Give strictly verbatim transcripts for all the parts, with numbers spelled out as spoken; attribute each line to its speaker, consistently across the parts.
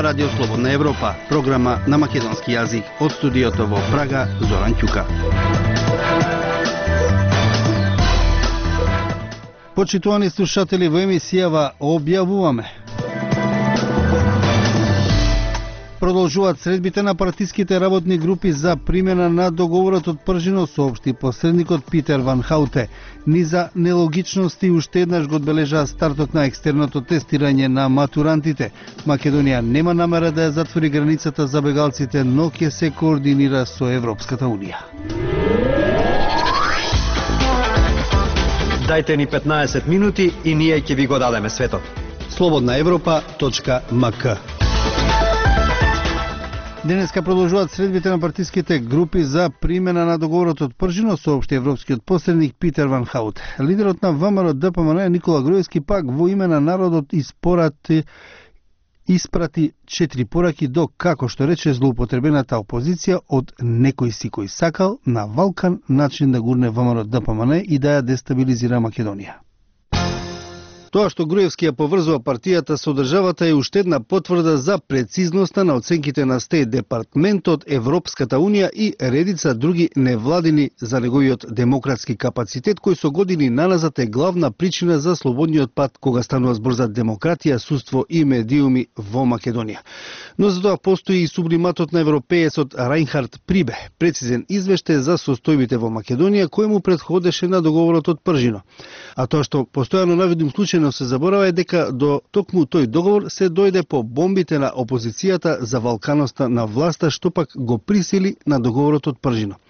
Speaker 1: Ова радио Слободна Европа, програма на македонски јазик од студиото во Прага, Зоран Ќука. Почитувани слушатели, во емисијава објавуваме: продолжуваат средбите на партиските работни групи за примена на договорот од Пржино, соопшти посредникот Питер Ван Хауте. Низа нелогичности уште еднаш го одбележа стартот на екстерното тестирање на матурантите. Македонија нема намера да ја затвори границата за бегалците, но ќе се координира со Европската унија.
Speaker 2: Дајте ни петнаесет минути и ние ќе ви го дадеме светот.
Speaker 1: слободна европа точка ем ка. Денеска продолжуваат средбите на партиските групи за примена на договорот од Пржино, соопшти европскиот посредник Питер Ван Хаут. Лидерот на ВМРО Д П М Н Никола Груевски пак во име на народот испорати испрати четири пораки до, како што рече, злоупотребената опозиција од некој си кој сакал на валкан начин да гурне ВМРО Д П М Н и да ја дестабилизира Македонија. Тоа што Груевски ја поврзува партијата со државата е уште една потврда за прецизноста на оценките на Стејт департментот, Европската унија и редица други невладини за неговиот демократски капацитет, кој со години наназад е главна причина за слободниот пат кога станува збор за демократија, судство и медиуми во Македонија. Но за тоа постои и сублиматот на европеецот Рајнхард Прибе, прецизен извештај за состојбите во Македонија кој му претходеше на договорот од Пржино. А тоа што постојано навидум случај но се заборава е дека до токму тој договор се дојде по бомбите на опозицијата за валканоста на власта, што пак го присили на договорот од Пржино.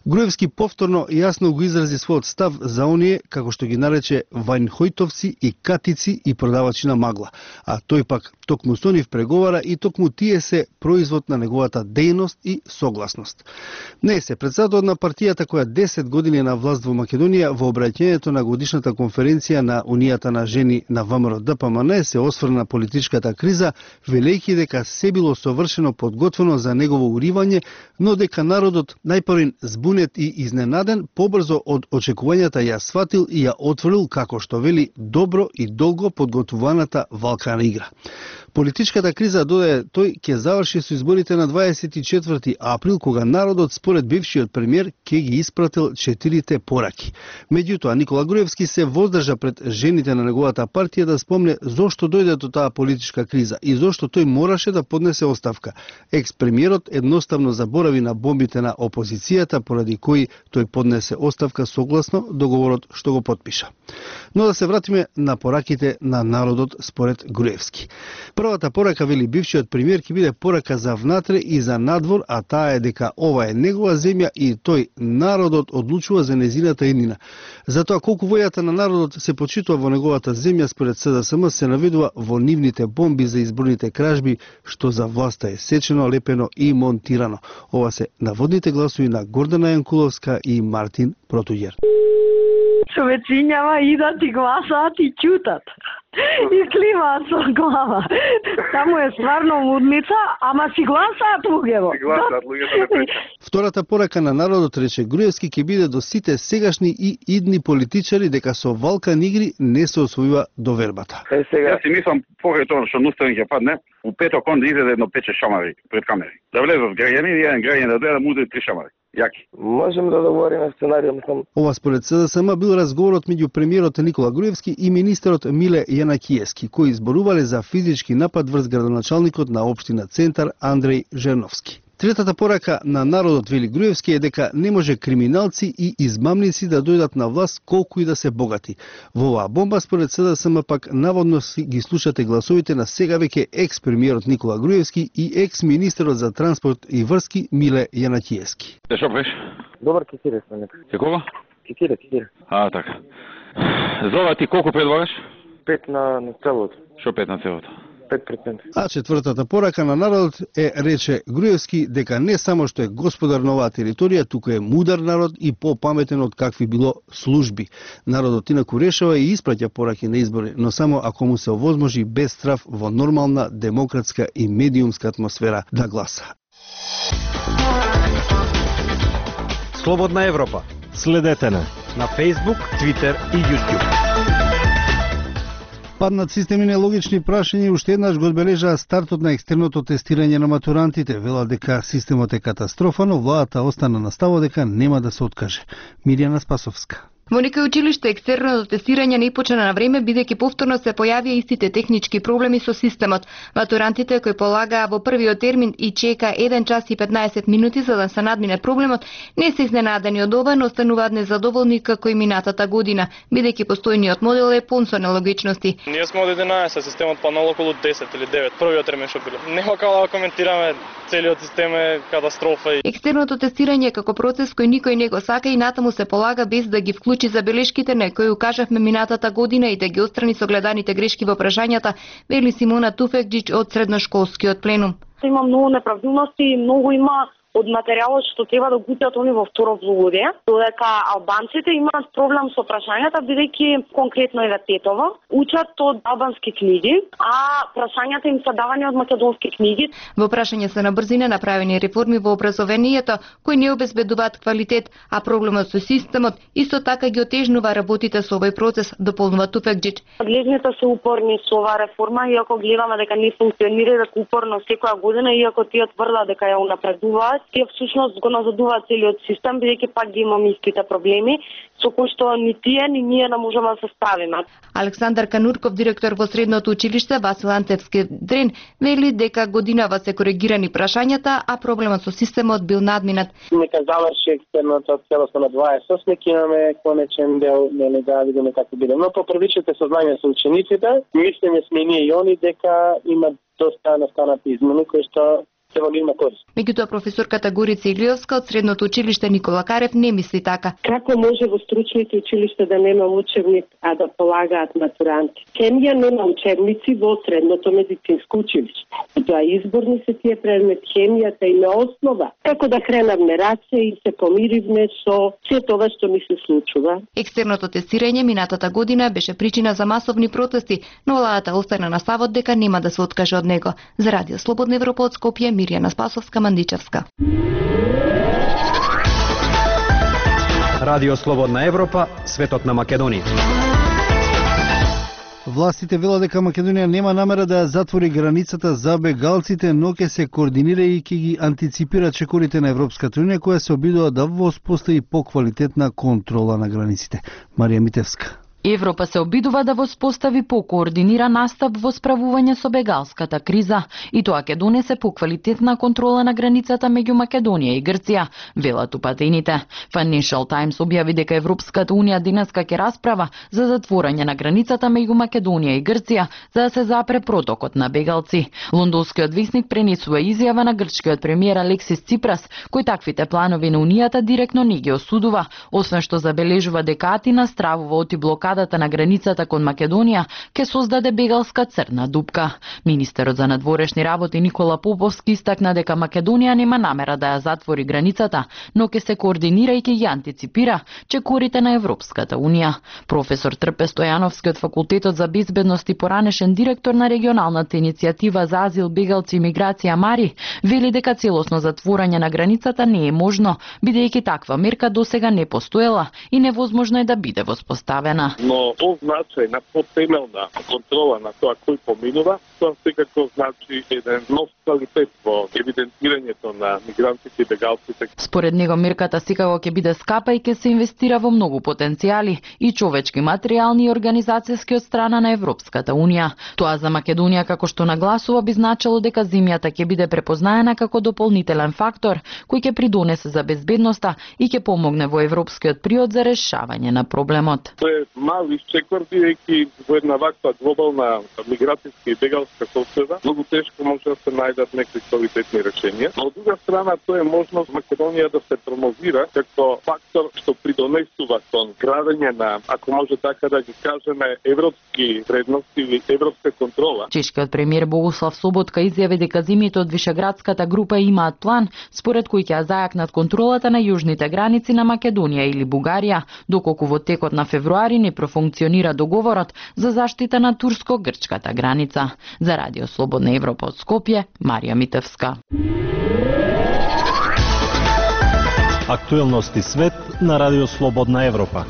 Speaker 1: Груевски повторно јасно го изрази својот став за оние, како што ги нарече, вајнхојтовци и катици и продавачи на магла, а тој пак токму со нив преговара и токму тие се производ на неговата дејност и согласност. Не се председател на партијата која десет години е на власт во Македонија во обраќањето на годишната конференција на Унијата на жени на ВМРО Д П М Н се осврна на политичката криза, велејќи дека се било совршено подготвено за негово уривање, но дека народот најпрвен збунет и изненаден побрзо од очекувањата ја сватил и ја отворил, како што вели, добро и долго подготвуваната валкана игра. Политичката криза, додаде тој, ќе заврши со изборите на дваесет и четврти април, кога народот според бившиот премиер ќе ги испратил четирите пораки. Меѓутоа, Никола Груевски се воздржа пред жените на неговата партија да спомне зошто дојде до таа политичка криза и зошто тој мораше да поднесе оставка. Екс-премиерот едноставно заборави на бомбите на опозицијата, поради кои тој поднесе оставка согласно договорот што го потпиша. Но да се вратиме на пораките на народот според Груевски. Првата порака, вели бившиот премиер, ќе биде порака за внатре и за надвор, а таа е дека ова е негова земја и тој, народот, одлучува за незината иднина. Затоа колку војата на народот се почитува во неговата земја, според С Д С М се наведува во нивните бомби за изборните кражби, што за власта е сечено, лепено и монтирано. Ова се наводните гласови на Гордана Јанкуловска и Мартин Протуѓер.
Speaker 3: Човечињава идат и гласаат и ќутат. И кливаат со глава. Таму е стварно мудница, ама си гласаат луѓето.
Speaker 4: Си гласаат луѓето.
Speaker 1: Втората порака на народот, рече Груевски, ќе биде до сите сегашни и идни политичари дека со валкан игри не се освојува довербата.
Speaker 4: Е, сега... Јас си мислам, покрај тоа што Ностран ќе падне, у петок он да изеде едно пече шамари пред камери. Да влезат граѓани и еден граѓан да дојде да му удари три шамари. Јаки.
Speaker 5: Можем да договориме сценаријум сам.
Speaker 1: Ова според С Д С М бил разговорот меѓу премиерот Никола Груевски и министерот Миле Јанакиевски, кои изборувале за физички напад врз градоначалникот на општина Центар Андреј Жерновски. Третата порака на народот, вели Груевски, е дека не може криминалци и измамници да дојдат на власт колку и да се богати. Во оваа бомба, според С Д С М, пак наводно ги слушате гласовите на сега веќе екс-премиерот Никола Груевски и екс-министерот за транспорт и врски Миле Јанакиевски.
Speaker 4: Те шо преш?
Speaker 5: Добар кекире сме нека.
Speaker 4: Ке кога?
Speaker 5: Кекире, кекире.
Speaker 4: А, така. За ова ти колку предлагаш?
Speaker 5: Пет на, на целото.
Speaker 4: Шо пет на целото?
Speaker 5: пет проценти.
Speaker 1: А четвртата порака на народот е, рече Груевски, дека не само што е господар на оваа територија, туку е мудар народ и попаметен од какви било служби. Народот инаку решава и испраќа пораки на избори, но само ако му се овозможи без страф во нормална, демократска и медиумска атмосфера да гласа.
Speaker 2: Слободна Европа. Следете на на Facebook, Twitter и YouTube.
Speaker 1: Паднат системи нелогични прашања уште еднаш го одбележаа стартот на екстерното тестирање на матурантите. Велат дека системот е катастрофа, но владата остана на ставот дека нема да се откаже. Мирјана Спасовска.
Speaker 6: Во некои училишта екстерното тестирање не почна на време, бидејќи повторно се појавија истите технички проблеми со системот. Матурантите кои полагаа во првиот термин и чека еден час и петнаесет минути за да се надмине проблемот, не се изненадени од ова, но остануваат незадоволни како и минатата година, бидејќи постојниот модел е пун со нелогичности.
Speaker 7: Ние сме од единаесет, системот паднал околу десет или девет, првиот термин што било. Нема како да коментираме, целиот систем е катастрофа.
Speaker 6: Екстерното тестирање како процес кој никој не го сака и натаму се полага без да ги вклучи забелешките на кои укажавме минатата година и да ги отстрани согледаните грешки во прашањата, вели Симона Туфекџич од средношколскиот пленум.
Speaker 3: Има многу неправилности и многу има од материјалот што треба да гутат они во второ полугодие, додека албанците имаат проблем со прашањата бидејќи конкретно еве Тетово учат од албански книги, а прашањата им се давани од македонски книги.
Speaker 6: Во прашање се на брзина направени реформи во образованието кои не обезбедуваат квалитет, а проблемот со системот исто така ги отежнува работите со овој процес, дополнува Туфекџич.
Speaker 3: Надлежните се упорни со оваа реформа, иако гледаме дека не функционира, дека упорно секоја година, иако тие тврдат дека ја унапредуваат, тие всушност го назадуваат целиот систем, бидејќи пак ги имаме истите проблеми, со кои што ни тие, ни ние не можеме да се справиме.
Speaker 6: Александар Канурков, директор во средното училиште Васил Антевски Дрен, вели дека годинава се коригирани прашањата, а проблемот со системот бил надминат.
Speaker 8: Нека заврши екстерното целосно на дваесет и осум, нека имаме конечен дел, не да видиме како биде. Но по првичните сознанија со учениците, мислење сме ние и они дека има доста настанати измени кои што
Speaker 6: Меѓутоа професорката Горица Илиовска од средното училиште Никола Карев не мисли така.
Speaker 9: Како може во стручните училишта да нема учебник, а да полагаат матуранти? Хемија нема учебници во средното медицинско училиште. Тоа изборни се тие предмет, хемијата има основа. Како да кренавме раце и се помиривме со се тоа што ми се случува.
Speaker 6: Екстерното тестирање минатата година беше причина за масовни протести, но владата остана на ставот дека нема да се откаже од него. За Радио Слободна Европа од Скопје, Мирјана Спасовска, Мандичевска.
Speaker 2: Радио Слободна Европа, светот на Македонија.
Speaker 1: Властите велат дека Македонија нема намера да ја затвори границата за бегалците, но ќе се координира и ќе ги антиципира чекорите на Европската унија, која се обидува да воспостави поквалитетна контрола на границите. Марија Митевска.
Speaker 10: Европа се обидува да воспостави покоординиран настап во справување со бегалската криза и тоа ќе донесе поквалитетна контрола на границата меѓу Македонија и Грција, велат упатените. Financial Times објави дека Европската унија денеска ќе расправа за затворање на границата меѓу Македонија и Грција за да се запре протокот на бегалци. Лондонскиот весник пренесува изјава на грчкиот премиер Алексис Ципрас, кој таквите планови на унијата директно не ги осудува, освен што забележува дека Атина стравува од блокада на границата кон Македонија ќе создаде бегалска црна дупка. Министерот за надворешни работи Никола Поповски истакна дека Македонија нема намера да ја затвори границата, но ќе се координира и ќе ја антиципира чекорите на Европската унија. Професор Трпе Стојановски од Факултетот за безбедност и поранешен директор на регионалната иницијатива за азил, бегалци и миграција Мари, вели дека целосно затворање на границата не е можно, бидејќи таква мерка досега не постоела и невозможно е да биде воспоставена.
Speaker 11: Но тоа значи на потемелна контрола на тоа кој поминува, тоа секако значи еден нов квалитет во евидентирањето на мигрантите и бегалците.
Speaker 10: Според него мерката секако ќе биде скапа и ќе се инвестира во многу потенцијали и човечки, материјални и организацијски од страна на Европската унија. Тоа за Македонија, како што нагласува, би значило дека земјата ќе биде препознаена како дополнителен фактор кој ќе придонесе за безбедноста и ќе помогне во европскиот приод за решавање на проблемот.
Speaker 11: Мал исчекор, бидејќи во една ваква глобална миграцијска и бегалска соцсреда, многу тешко може да се најдат некои квалитетни решенија. Но од друга страна, тоа е можност Македонија да се промовира како фактор што придонесува кон градење на, ако може така да ги кажеме, европски вредности или европска контрола.
Speaker 10: Чешкиот премиер Богуслав Соботка изјави дека земјите од Вишеградската група имаат план според кој ќе ја зајакнат контролата на јужните граници на Македонија или Бугарија, доколку во текот на февруари не профункционира договорот за заштита на турско-грчката граница. За Радио Слободна Европа од Скопје, Марија Митевска.
Speaker 12: Актуелности свет на Радио Слободна Европа.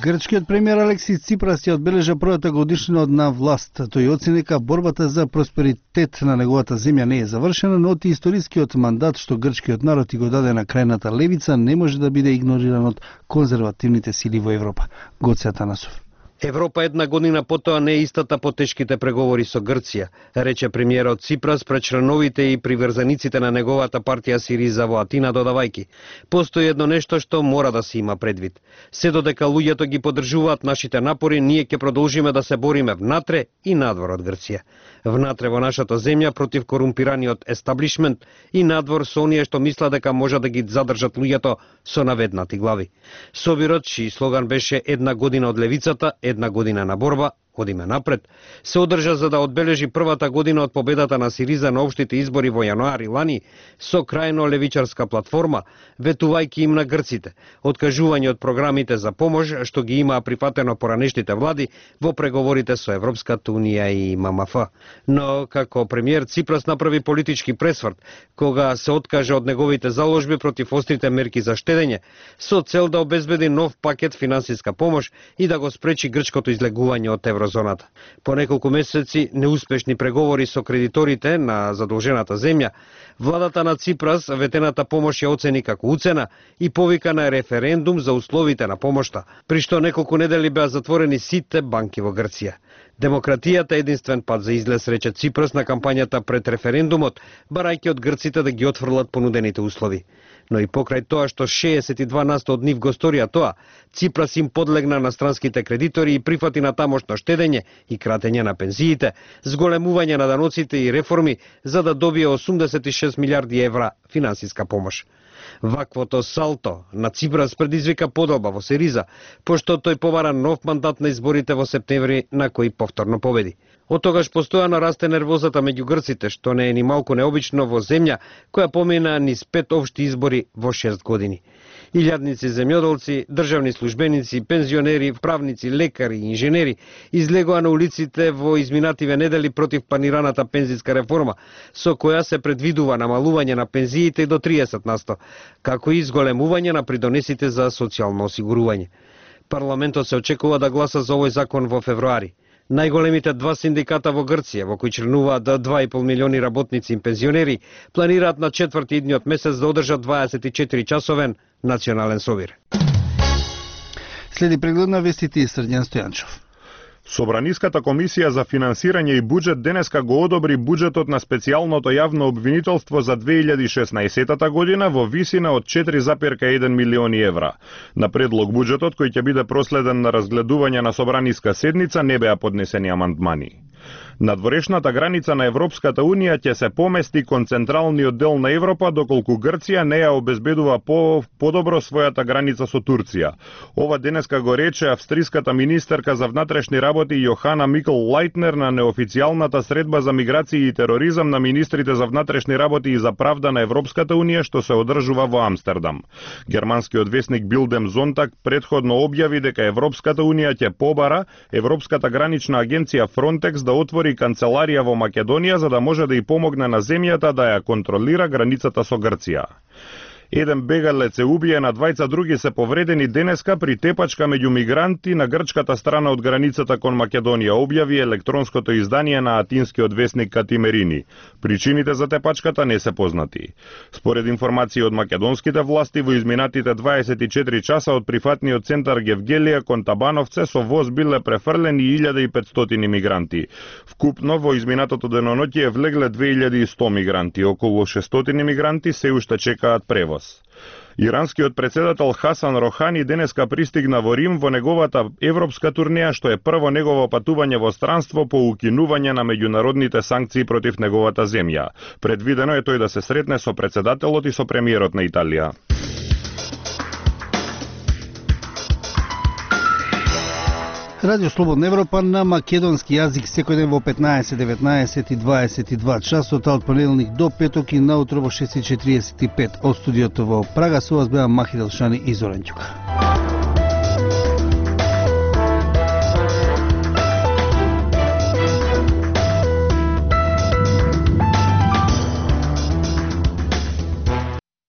Speaker 1: Грчкиот премиер Алексис Ципрас ја одбележа првата годишнина од на власт. Тој оцени дека борбата за просперитет на неговата земја не е завршена, но ти историскиот мандат што грчкиот народ и го даде на крајната левица не може да биде игнориран од конзервативните сили во Европа. Гоце Атанасов.
Speaker 12: Европа една година потоа не е истата по тешките преговори со Грција, рече премиерот Ципрас пред членовите и приврзаниците на неговата партија Сириза во Атина, додавајки: постои едно нешто што мора да се има предвид. Се додека луѓето ги поддржуваат нашите напори, ние ќе продолжиме да се бориме внатре и надвор од Грција. Внатре во нашата земја против корумпираниот естаблишмент и надвор со оние што мислат дека може да ги задржат луѓето со наведнати глави. Собирот, чиј слоган беше една година од левицата, една година на борба, одиме напред, се одржа за да одбележи првата година од победата на Сириза на општите избори во јануари лани со крајно левичарска платформа, ветувајќи им на грците откажување од програмите за помош што ги имаа прифатено поранешните влади во преговорите со Европската унија и М М Ф. Но како премиер Ципрас направи политички пресврт кога се откажа од неговите заложби против острите мерки за штедење со цел да обезбеди нов пакет финансиска помош и да го спречи грчкото излегување од еврозоната. По неколку месеци неуспешни преговори со кредиторите на задолжената земја, владата на Ципрас ветената помош ја оцени како уцена и повика на референдум за условите на помошта, при што неколку недели беа затворени сите банки во Грција. Демократијата е единствен пат за излез, рече Ципрас на кампањата пред референдумот, барајќи од грците да ги отфрлат понудените услови. Но и покрај тоа што шеесет и два на сто од нив го сторија тоа, Ципрас им подлегна на странските кредитори и прифати на тамошно штедење и кратење на пензиите, зголемување на даноците и реформи за да добие осумдесет и шест милиарди евра финансиска помош. Ваквото салто на Ципрас предизвика подоба во Сириза, пошто тој побара нов мандат на изборите во септември на кој повторно победи. Од тогаш постојано расте нервозата меѓу грците, што не е ни малку необично во земја која помина низ пет општи избори во шест години. Илјадници земјоделци, државни службеници, пензионери, правници, лекари и инженери излегоа на улиците во изминативе недели против планираната пензиска реформа, со која се предвидува намалување на пензиите до триесет на сто, како и изголемување на придонесите за социјално осигурување. Парламентот се очекува да гласа за овој закон во февруари. Најголемите два синдиката во Грција, во кои членуваат до два и пол милиони работници и пензионери, планираат на четврти идниот месец да одржат дваесет и четири часовен национален собир.
Speaker 1: Следи преглед на вестите и Срđan Стојанчов.
Speaker 13: Собраниската комисија за финансирање и буџет денеска го одобри буџетот на специјалното јавно обвинителство за две илјади и шеснаесетта година во висина од четири zarez еден милиони евра. На предлог буџетот, кој ќе биде проследен на разгледување на собраниска седница, не беа поднесени амандмани. Надворешната граница на Европската Унија ќе се помести кон централниот дел на Европа, доколку Грција не ја обезбедува по подобро својата граница со Турција. Ова денеска го рече австриската министерка за внатрешни работи Јохана Микл Лајтнер на неофицијалната средба за миграција и тероризам на министрите за внатрешни работи и за правда на Европската Унија што се одржува во Амстердам. Германскиот весник Билдем Зонтаг предходно објави дека Европската Унија ќе побара Европската гранична агенција Фронтекс да отвори канцеларија во Македонија за да може да и помогне на земјата да ја контролира границата со Грција. Еден бегалец е убиен, а двајца други се повредени денеска при тепачка меѓу мигранти на грчката страна од границата кон Македонија, објави електронското издание на атинскиот весник Катимерини. Причините за тепачката не се познати. Според информации од македонските власти, во изминатите дваесет и четири часа од прифатниот центар Гевгелија кон Табановце со воз биле префрлени илјада и петстотини мигранти. Вкупно во изминатото деноноќие влегле две илјади и сто мигранти, околу шестстотини мигранти се уште чекаат превоз. Иранскиот председател Хасан Рохани денеска пристигна во Рим во неговата европска турнеја, што е прво негово патување во странство по укинување на меѓународните санкции против неговата земја. Предвидено е тој да се сретне со председателот и со премиерот на Италија.
Speaker 1: Радио Слободна Европа на македонски јазик секој ден во петнаесет, деветнаесет и дваесет и два часот, од понеделник до петок и наутро во шест и четириесет и пет од студиото во Прага. Со вас беа Махи Делшани и Зоран Ѓука.